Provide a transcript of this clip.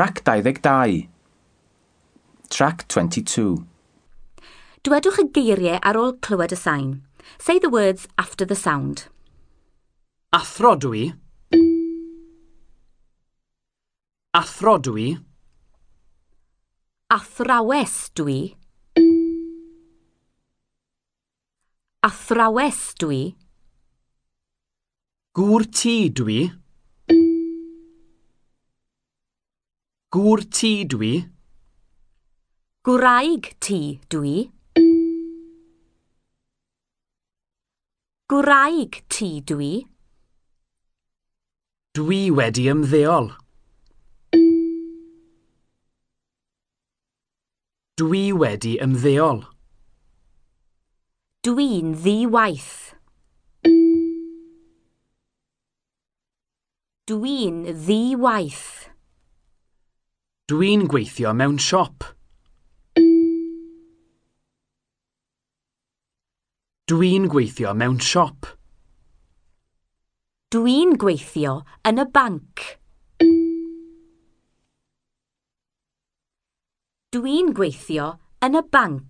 Trac 22. Trac 22. Dwedwch y geiriau ar ôl clywed y sain. Say the words after the sound. Athro dwi. Athro dwi. Athrawes dwi. Athrawes dwi. Gŵr tŷ dwi. Gŵr tŷ dwi. Gwraig tŷ dwi. Gwraig tŷ dwi. Dwi wedi ymddeol. Dwi wedi ymddeol. Dwi'n ddi-waith. Dwi'n ddi-waith. Dwi'n gweithio mewn siop. Dwi'n gweithio mewn siop. Dwi'n gweithio yn y banc. Dwi'n gweithio yn y banc.